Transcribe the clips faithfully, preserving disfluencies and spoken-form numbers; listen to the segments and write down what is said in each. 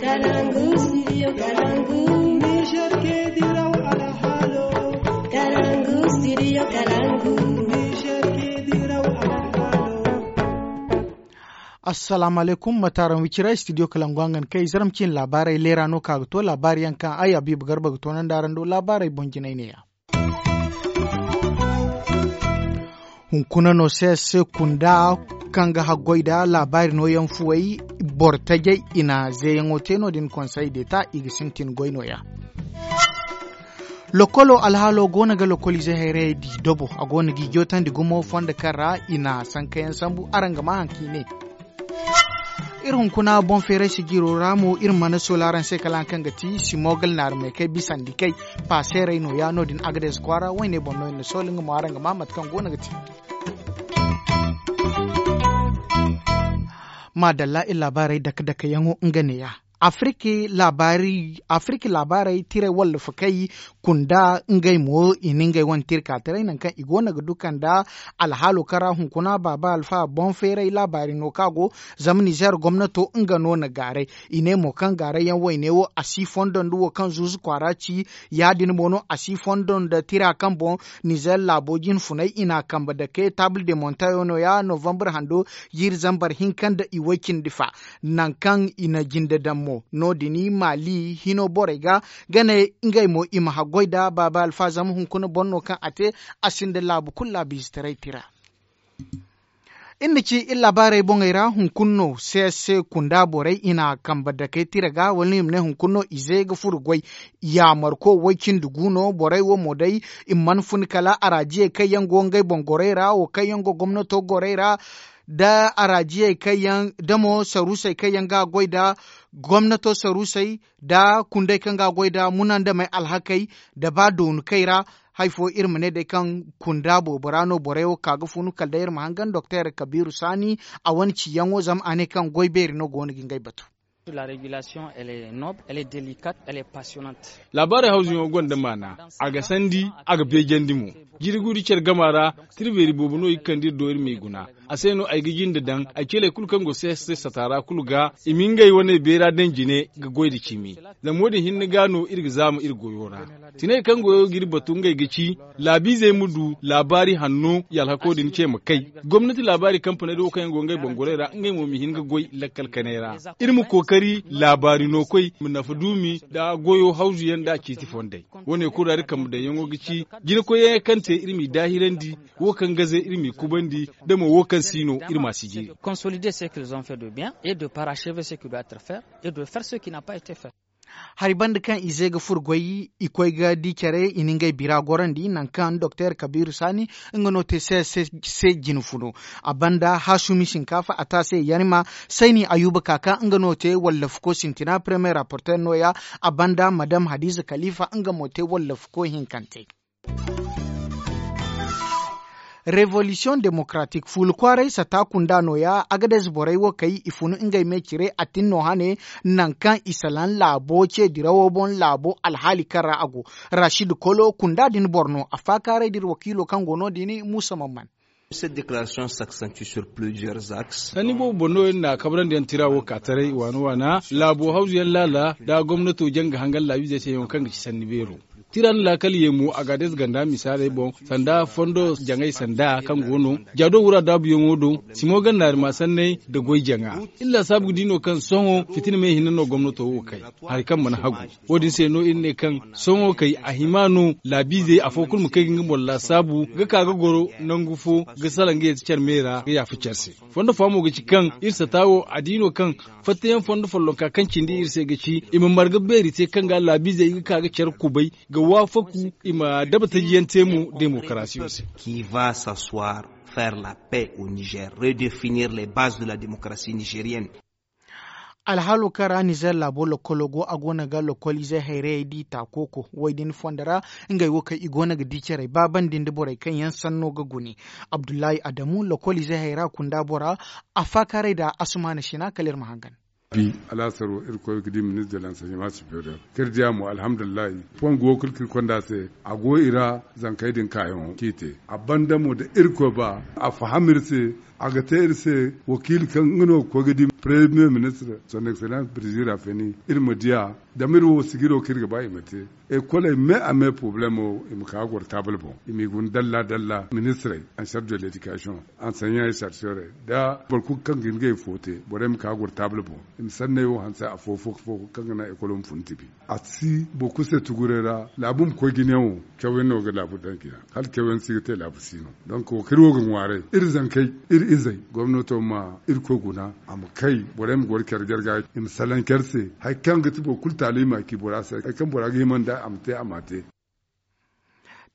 Kalangu, studio Kalangu. Niger ke diraw alhalo. Kalangu, studio Kalangu. Niger ke diraw alhalo. Assalamu alaikum, mataran wicira studio Kalangu hangan kai zaram cin labarai lera no ka ga to labari yankan ai Habibu Garba ga to nan daran do labarai bonjinai ne ya. Hunkuna no se se kunda kaŋ ga haggoy da labaari nooyaŋ fuwey boro tajey i na zeeyaŋo te no- din konsey d'eta i ga sintin goy nooya. Lokolo alhaalo go no ga lokolize hayrayey di dobo a go no g'i jootandi gumo fondo kaŋ ra i na sankayaŋ sambu araŋ ga maa haŋ kaŋ i ne. Iri hunkuna boŋ feeray sijiro ra mo iri mana sola araŋ se kala haŋ kaŋ ga ti simogal naari me kay bisandi kay paaseerey nooya no- din agades kwaara wayne boŋ no iri na sola nga mo araŋ ga maa mate kaŋ go no ga ti. Maadalla iri laabaarey dake dake yaŋo nga neeya. Afirki laabaarey tiray wallafakey kunda ngey mo i na ngey wane tirka taray nangu kaŋ i go no ga duka nda alhaalo kaŋ ra hunkuna baaba alfa boŋ feeray laabaari no kaŋ a go. Zama nizeer gomnato nga no na gaaray i ne mo kaŋ gaaray yaŋ wayne wo a si fondo nda wo kaŋ zuuzu kwaara ci. Ya- din mo no a si fondo nda tira kaŋ boŋ nizeer laabo jinfunay i n'a kambe dake taabul de montayo nooya novambar hando jiiri zambar hinka nda i way cindi fa. Nangu kaŋ i na jinde daŋ mo no- din maali hino borey ga ga ne ngey mo i ma haggoy nda baaba alfa zama hunkuna boro no kaŋ a te a sinda laabu kulu laabu ize taray tira. Iri na ci iri laabaarey boŋey ra hunkuna no se se kunda borey i na kambe dakey tira ga wala no i ma ne hunkuna no ize ga furo goy. Yaamarko way cindi gu no borey wo mo day i mana fun kala araajiyey kaŋ yaŋ go ngey boŋ gorey ra wo kaŋ yaŋ go gomnato gorey ra nda araajiyey kaŋ yaŋ da mo saruusey kaŋ yaŋ ga goy nda gomnato saruusey nda kundey kaŋ ga goy nda munandamey alhakey nda ba doonu kay ra. Hari fo iri ma ne day kaŋ kunda boobo ra no borey wo ka ga funu kala day iri ma hangan doktor kabiiru saani a wane ciyaŋo zama a ne kaŋ goy beeri no go no ga ngey batu. Laabaarey hawzuyaŋo gonda maana. A ga sandi a ga beejandi mo. Jiri guuri care gama ra tirbeeri boobo no i ga kande iri do iri m'i guna. A se no ay ga jinde daŋ ay ceeley kulu kaŋ go se se sata ra kulu ga i ma ngey wane beera daŋ jine ga goy nda cimi. Zama wo- din hinne ga no iri ga zaama iri goyo ra. Tiney kaŋ goyo ga iri batu ngey ga ci laabiizey ma du laabaari hanno i alhako din ce ma kay. Gomnati laabaari kampaney da wo kaŋ yaŋ go ngey boŋ gorey ra ngey mo ma hin ga goy lakkal kanay ra. Iri ma kookari laabaari no koy ma nafa duumi nda goyo hawzu yaŋ nda ciiti fondey. Wo- ne kulu ra iri kambe daŋyaŋo ga ci jinakoyyaŋ yaŋ kaŋ te iri m'i daahirandi. Wo kaŋ gaze iri m'i kubandi da mo wo kaŋ si no iri m'a si jiiri. Consolider ce qu'ils ont fait de bien et de parachever ce qui doit être fait et de faire ce qui n'a pas été fait. Hari banda kaŋ ize ga furo goy i koy ga di care i na ngey bira gorandi nangu kaŋ doktor kabiiru saani nga no te se se jine funo. A banda haasumi sinkaafa a te a se yarima sayni ayuba kaaka nga no te wallafuko sintina premier rapporter nooya. A banda madam hadiza kalifa nga mo te wallafuko hinkante. Revolisiyoŋ demokaraatik fuula kwaaray sata kunda nooya agadez borey wo kay i funu ngey me cire a tin no hane. Nangu kaŋ i salaŋ laabo ce dirawo boŋ laabo alhaali kaŋ ra a go. Rashid kolo kunda din boro no a faakaaray da iri wakiilo kaŋ go no- din muusa mamman. Sanni boobo boŋ no iri na kabrandi yaŋ tira wo ka taray waana waana laabo hawzu yaŋ laala nda gomnato jaŋ ga hangan laabiizey se yaŋo kaŋ ga ci sanni beero. Tira nda laakal ye mo a ga adayze ganda misaaley boŋ sanda fondo jaŋay sanda kaŋ go no jaado wura daabuyaŋo do. Simo gannaari ma sanney nda goy jaŋa iri laasaabu ga di no kaŋ sohõ fitina me hinne no gomnato wo kay. Hari kaŋ mana hagu wo- din se no iri ne kaŋ sohõ kay a hima no laabiizey afo kulu ma kay ga nga boŋ laasaabu ga ka ga goro nangu fo ga salaŋ ga ye ti care me ra ga yaafa care se. Fondo fo mo ga ci kaŋ iri sata wo a di no kaŋ fattayaŋ fondo follonka kaŋ cindi iri se ga ci i ma marga beeri te kaŋ ga laabiizey ga ka ga care kubay ga waafaku i ma daba taji yaŋ te mo demokarasiyo se. Qui va s'asseoir faire la paix au niger redefinir les bases de la démocratie nigérienne. Alhaalo kaŋ ra nizer laabo lokolo go a go no ga lokoliizey hayrayey di takooko wo- din fondo ra. Ngey wo kaŋ i go no ga di carey baabandi nda borey kaŋ yaŋ sanno ga gune. Abdullahi adamu lokoliizey hayra kunda bora a faakaaray nda asumaana sina kala iri ma hangan. Bi alhasaro irkoy ga di ministre de l'enseignement superieur kaŋ iri diya mo alhamdulillahi. Fongu wo kulu kaŋ iri konda se a go i ra. Zankey din kaayaŋo kaŋ i te a banda mo da irkoy ba a faham iri se. A ga te iri se wakiili kaŋ nga no ga koy ga di premier ministre son excellence brizil rafeni iri ma di a. Zama iri wo sigiro kaŋ iri ga ba i ma te ekoley me a me problemo i ma ka ga goro taabal boŋ i m'i guna dalla dalla ministrey ansar de ledikasiyoŋ, ansanyaŋ e sarsiyorey nda boro kulu kaŋ ga hin ga i fo te borey ma ka ga goro taabal boŋ i ma sanney wo hanse afo fo fo kaŋ ga naŋ ekolo ma fun tibi. A si boro kulu se tuguray ra laabu ma koy jinayaŋo. Cawyaŋ no ga laabu daŋ jina hala cawyaŋ si ga te laabu si no. Donk wo kaŋ iri wo ga ŋwaaray iri zankey iri izey gomnato ma iri koy guna a ma kay borey ma goro care jarga i ma salaŋ care se hari kaŋ ga ti boro kulu taali i ma ci bora se hari kaŋ bora ga hima nda a ma te a ma te.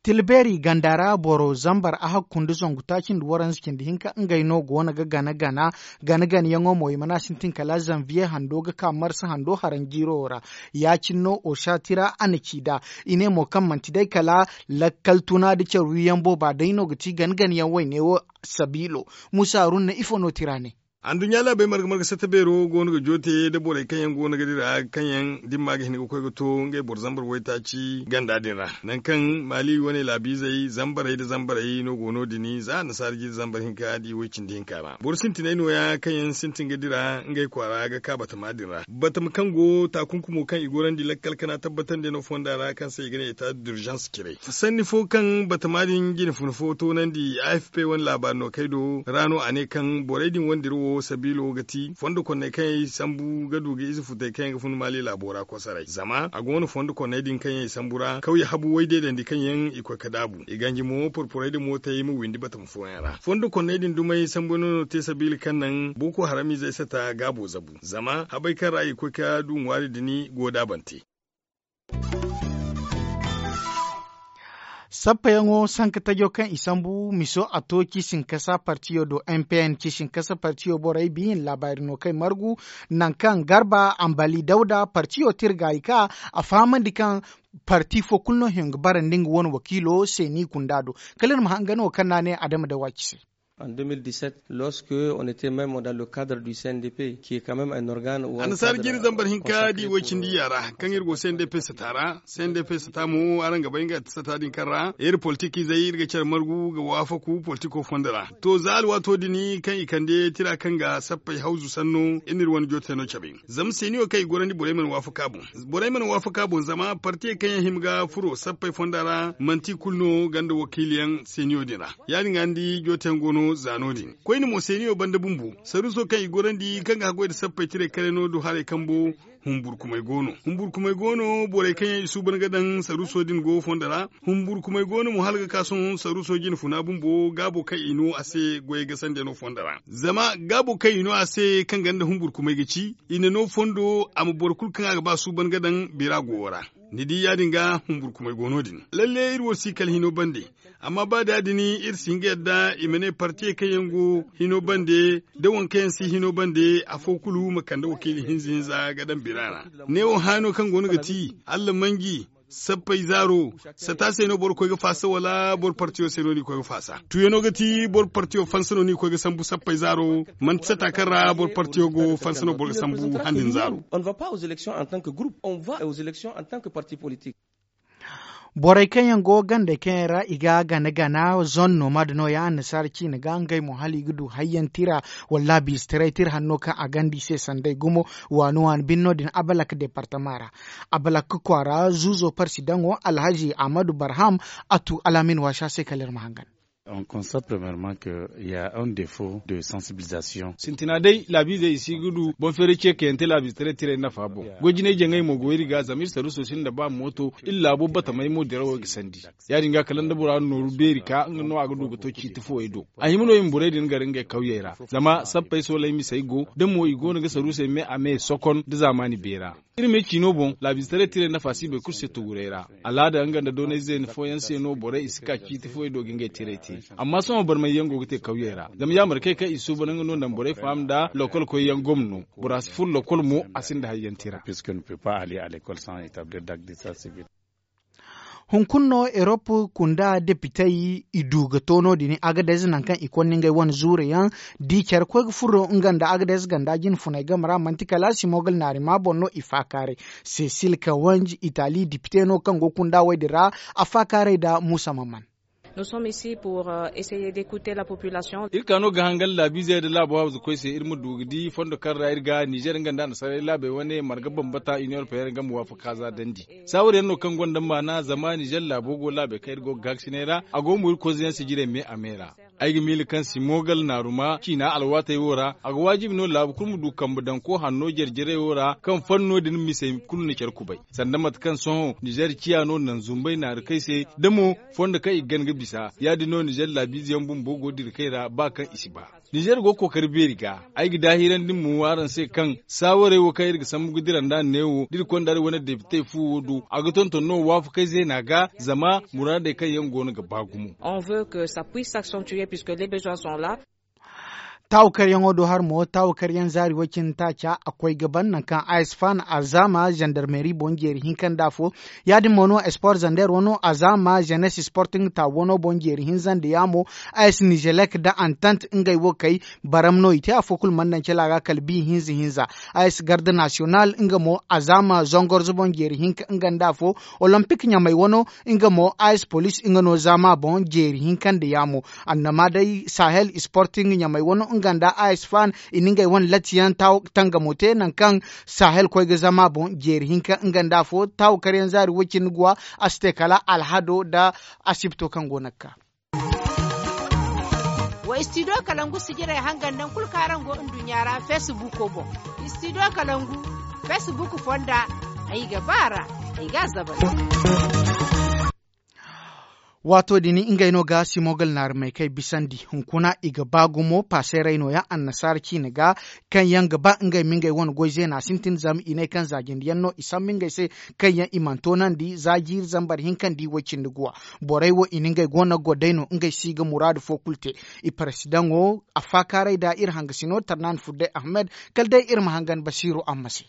Tilbeeri ganda ra boro zambar a hakku nda zangu taaci nda waranza cindi hinka ngey no go no ga gana gana gana gana yaŋo mo i mana sintin kala zanviye hando ga ka marsa hando haranjiiro ra. Ya- cine no osa tira a na ci nd'a i ne mo kaŋ manti day kala lakkal tuna nda care wiyaŋ booba day no ga ti gana gana yaŋ wayne wo. Sabiilo muusa haruna ifo no tira ne. Anduɲɲa laabey marga marga satta beero go no ga joote nda borey kaŋ yaŋ go no ga dira kaŋ yaŋ dimma ga hin ga koy ga to ngey boro zambar waytaaci ganda din ra. Nangu kaŋ maali wane laabiizey zambarey nda zambarey no go no- din za annasaara jiiri zambar hinka nda i way cindi hinka ra boro sintiney nooya kaŋ yaŋ sintin ga dira ngey kwaara ga ka batama din ra batama kaŋ go taakunkumo kaŋ i gorandi lakkal kana tabbatandi no fonda ra kaŋ se i ga ne eta d'urgence cire sanni fo kaŋ batama din jine funa fo toonandi a f p wane laabaari no kay do ra no a ne kaŋ borey din wandira wo sabiilo ga ti fondo konney kaŋ yaŋ i sambu ga du ga ize futey kaŋ yaŋ ga fun maali laabo ra kosaray zama a go no fondo konney din kaŋ yaŋ i sambu ra kawye habu waydeedandi kaŋ yaŋ i koy ga daabu i ganji mo porporey nda mootey ma windi batama fooyaŋ ra fondo konney din dumey sambu no no te sabiila kaŋ naŋ booko haramizey sata gaabo zabu zama habey kaŋ ra i koy ga du ŋwaari din go daabante. Sappayaŋo sanka tajo kaŋ i sambu miso a to ciisinkasa partiyo do m p n ciisinkasa partiyo borey biyin laabaari no kay margu. Nangu kaŋ garba ambali dawda partiyo tirga i ka a fahamandi kaŋ parti fo kulu no hin ga bara nda nga wane wakiilo se ni gunda do. Kala iri ma hangan wo kaŋ no a ne adama da waaci se. En deux mille dix-sept, lorsque on était même dans le cadre du c n d p qui est quand même un organe ou un annasaara cadre jiiri zambar hinka da i way cindi yaara kaŋ iri go c n d p sata ra. C n d p sata mo araŋ ga bay nga sata din kaŋ ra iri politik izey iri ga care margu ga waafaku politiko fondo ra. To za alwaato din kaŋ i kande tira kaŋ ga sappey hawzu sanno iri n'iri wane joote no cabe. Zama seeniyo kaŋ i gorandi borey mana waafaka boŋ. Borey mana waafaka boŋ zama partiyey kaŋ yaŋ hima ga furo sappey fonda ra manti i kulu no ganda wakiiliyaŋ seeniyo din ra. Ya- din ga ni di jooteyaŋ go no za no- din koyne mo seeniyo banda bumbo saruuso kaŋ i gorandi kaŋ ga haggoy nda sappey tiray kare no du haray kambo. Humburkumey go no humburkumey go no borey kaŋ yaŋ i suuban ga daŋ saruuso din go fondo ra. Humburkumey go no mo hala ga ka sohõ saruuso jine funa bumbo gaabo kaŋ i no a se goyey gasandey no fondo ra zama gaabo kaŋ i no a se kaŋ ganda humburkumey ga ci i na no fondo a ma boro kulu kaŋ a ga ba suuban ga daŋ bira gowo ra. Ni di ya- din ga humburkumey go no- din lalle iri wo si kala hino bande. Amma ba da- din iri si hin ga yadda i ma ne partiyey kaŋ yaŋ go hino bande da waŋ kaŋ yaŋ si hino bande afo kulu ma kande wakiili hinza hinza ga daŋ bira ra. Neewo haano kaŋ go no ga ti allamanji sappey zaaro sata se no boro koy ga faasa wala boro partiyo se no ni koy ga faasa tuuyaŋo ga ti boro partiyo fansa no ni koy ga sambu sappey zaaro. Manti sata kaŋ ra boro partiyo go fansa no boro ga sambu handin zaaro. On ne va pas aux élections en tant que groupe on va aux élections en tant que parti politique. Borey kaŋ yaŋ go gandey kaŋ yaŋ ra i ga gana gana zone nomad no- ya annasaara ciine ga ngey mo hala i ga du hayyaŋ tira wala laabiize taray tira hanno kaŋ a ganda i se sanday gumo. Waani waani bine no- din abalak departama ra abalak kwaara zuuzo parsi daŋo alhazi ahmadu barham. A tu alaamin waasa se kala iri ma hangan. On constate premièrement que il y a un défaut de sensibilisation. Sintina day laabiizey i si ga du boŋ feeray ce kayante laabiize taray tiray nafa boŋ. Goy jinay jaŋay mo go iri ga zama iri saruuso sinda ba mooto iri laabo batamay mo dirawo ga sandi. Ya- din ga kala nda bora nooru beeri ka nga no a ga du ga to ciiti fooyey do. A hima no i ma borey din gar ngey kawyey ra zama sappey sooley misey go da mo i go no ga saruusey me a me sokon nda zaamaani beera. Iri me ciino boŋ laabiize taray tiray nafa si boro kulu se tuguray ra. Alaada nga nda doonay zeena fooyaŋ se no borey i si ka ciiti fooyey do ga ngey tiray te. Amma sohõ barmay yaŋ go ga te kawyey ra zama yaamarkey kaŋ i suuban nga no naŋ borey faham nda lokol koyyaŋ gomno. Bora si furo lokol mo a sinda hayyaŋ tira. Hunkuna no erop kunda depitey i du ga to no- din agadez nangu kaŋ i konda ngey wane zuure yaŋ. Di care koy ga furo nga nda agadez ganda jine funay game ra manti kala simogal naari ma boŋ no i faakaaray. Sesil kawanj itali depite no kaŋ go kunda wey din ra a faakaaray nda muusa maman. Nous sommes ici pour essayer d'écouter la population. Iri ka no ga hangan laabiizey nda laabo hawza koy se iri ma du ga di fondo kaŋ ra iri ga nizer nga nda annasaray laabey wane marga bambata iniyoŋ europeyenne nga ma waafaka za dandi. Saawar yaŋ no kaŋ gonda maana zama nizer laabo go laabey kaŋ iri go ga gaakasinay ra a go mo iri koyze yaŋ sijirey me a me ra. Ay ga miila kaŋ simogal naaruma ciina alwaatey wo ra a ga waajibi no laabu kulu ma du kambe daŋ ko hanno jare-jarey wo ra kaŋ fanno din misey kulu na care kubay. Sanda mate kaŋ sohõ nizer ciya no naŋ zumbay naari kay se da mo fondo kaŋ i ga gan ga bisa ya- din no nizer laabiize yaŋ bumbo go dira kay ra ba kaŋ i si ba. Nizer go ga kookari beeri ga ay ga daahirandi mo araŋ se kaŋ saawarey wo kaŋ iri ga sambu ga dira nd'a neewo da iri konda iri wane depitey fu wo do a ga tonton no waafakey zeena ga zama muraadey kaŋ yaŋ go no ga ba gumo. On veut que ça puisse s'accentuer puisque les besoins sont là. Taawakaryaŋo do har mo taawakaryaŋ zaari way cindi taaca a koy ga ban nangu kaŋ a s fan a zaama zandarmeri boŋ jeeri hinka nda afo. Ya- din mo no esport zander wano a zaama zenes sporting ta wano boŋ jeeri hinza nda yaamo. A s nizelek nda antant ngey wo kay baram no i te afo kulu mana naŋ cala ga kala bi hinza hinza. A s garde nasiyonal nga mo a zaama zongorzo boŋ jeeri hinka nga nda afo. Olompik ɲamay wano nga mo a s polis nga no zaama boŋ jeeri hinka nda yaamo. Annama day sahel sporting ɲamay wano nga nda a s fan i na ngey wane latiyaŋ tangamo te nangu kaŋ sahel koy ga zama boŋ jeeri hinka nga nda afo taawakaryaŋ zaari way cindi guwa. A si te kala alhado nda asibto kaŋ go no ga ka. Wa istidiyo kalangu sijirey hangan naŋ kulu kaŋ araŋ go nduɲɲa ra feesibuuko boŋ. Istidiyo kalangu feesibuuko fonda. Ay ga ba a ra. Ay ga a zabal. Waato din ngey no ga simogal naari may kay bisandi hunkuna i ga ba gumo paaseerey nooya annasaara ciine ga. Kaŋ yaŋ ga ba ngey ma ngey wane goy zeena sintin zama i ne kaŋ zaajindiyaŋ no i sambu ngey se kaŋ yaŋ i mana toonandi za jiiri zambar hinka nda i way cindi guwa. Borey wo i na ngey go no ga goy day no ngey si ga muraadu fo kulu te. I parasidaŋo a faakaaray nda iri hangasino tarnaani fur day ahmed. Kala day iri ma hangan basiiru amma se.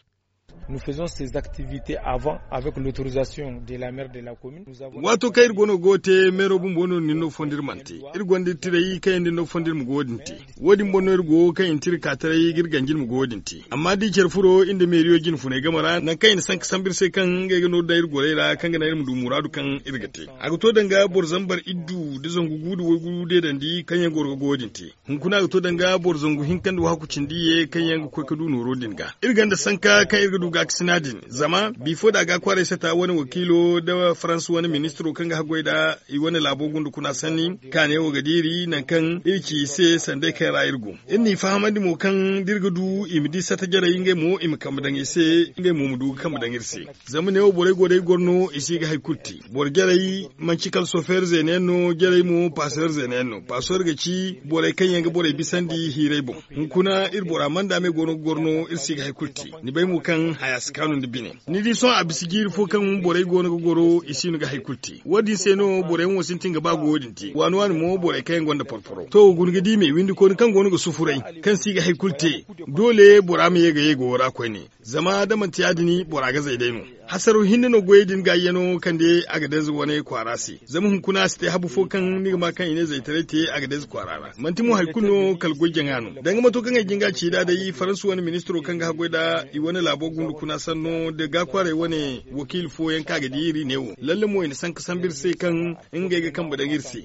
Waato kaŋ iri go no ga wo te meero bumbo no ni no fondo iri mana te. Iri gonda iri tiray kaŋ yaŋ da ni no fondo iri ma ga wo- din te. Wo- din boŋ no iri go kaŋ i na te iri ka taray ga iri ganji iri ma ga wo- din te. Amma da i care furo iri nda meeriyo jine funay game ra nangu kaŋ i na sanka sambu iri se kaŋ ngey ga nooru daŋ iri gorey ra kaŋ ga naŋ iri ma du muraadu kaŋ iri ga te. A ga to danga boro zambar iddu nda zangu gu nda waygu deedandi kaŋ yaŋ goro ga ga wo- din te. Hunkuna a ga to danga boro zangu hinka nda waaku cindi ye kaŋ yaŋ ga koy ga du nooro din ga. Iri gonda sanka kaŋ iri ga du gaakasina din zama bifo da a ga kwaaray sata wane wakiilo nda farans wane ministiro kaŋ ga haggoy nda i wane laabo gunda kuna sanni. Kaane wo ga diiri nangu kaŋ iri ci i se sanday kaŋ ra iri go. Iri n'i fahamandi mo kaŋ da iri ga du i ma di sata jarey ngey mo i ma kambe daŋ i se. Ngey mo ma du ga kambe daŋ iri se. Zama neewo borey go day goro no i si ga hari kulu te. Boro jarey manci kala sofeer zeena yaŋ no jarey mo paaseer zeena yaŋ no paaseer ga ci borey kaŋ yaŋ ga borey bisandi hiirey boŋ. Hunkuna iri bora manda me go no ga goro no iri si ga hari kulu te. Ni bay mo kaŋ haya si kaanu nda bine. Ni di sohõ a bisa jiiri fo kaŋ borey go no ga goro i si no ga hari kulu te wo- din se no borey yaŋ wo sintin ga ba ga wo- din te waani waani mo borey kaŋ yaŋ gonda porporo to guna ga di me windikooni kaŋ go no ga sufuray kaŋ si ga hari kulu te. Doole bora ma ye ga ye ga wo ra koyne. Zama da manti ya- din bora ga zay day no. Hasaro hinne no goyey din ga yano kande a ga danze wane kwaara se zama hunkuna a si te habu fo kaŋ ni ga ma kaŋ i ne zaytaray te a ga danze kwaara ra manti mo hari kulu no kala goy jaŋa no danga mato kaŋ ay jinga ci nd'a day faransa wane ministiro kaŋ ga haggoy nd'a i wane laabo gundu kuna sanno da ga kwaaray wane wakiili fooyaŋ kaŋ a ga di iri ne wo lalle mo i na sanka sambu iri se kaŋ ngey ga kambe daŋ iri se.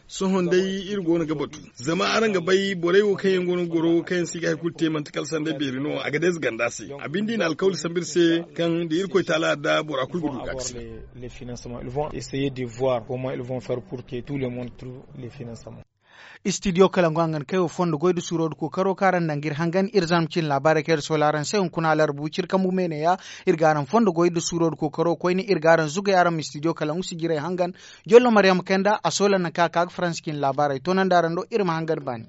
Sohõ day iri go no ga batu zama araŋ ga bay borey wo kaŋ yaŋ go no ga goro kaŋ yaŋ si ga hari kulu te manti kala sanday beeri no a ga deeze ganda se. A binde i na alkawli sambu iri se kaŋ da irkoy taala yarda bora kulu ga du ga ga se. Istidiyo kalangu hangan kay wo fondo goy nda suuro nda kookaro kaŋ araŋ naŋ ga iri hangan iri zarma cine laabaarey kaŋ iri soola araŋ se hunkuna alarba wiciri kambu me ne- ya. Iri ga araŋ fondo goy nda suuro nda kookaro koyne iri ga araŋ zugay araŋ ma istidiyo kalangu sijirey hangan. Jollo maryama kay nda a soola nangu kaŋ a ka ga faransa cine laabaarey toonandi araŋ do iri ma hangan baani.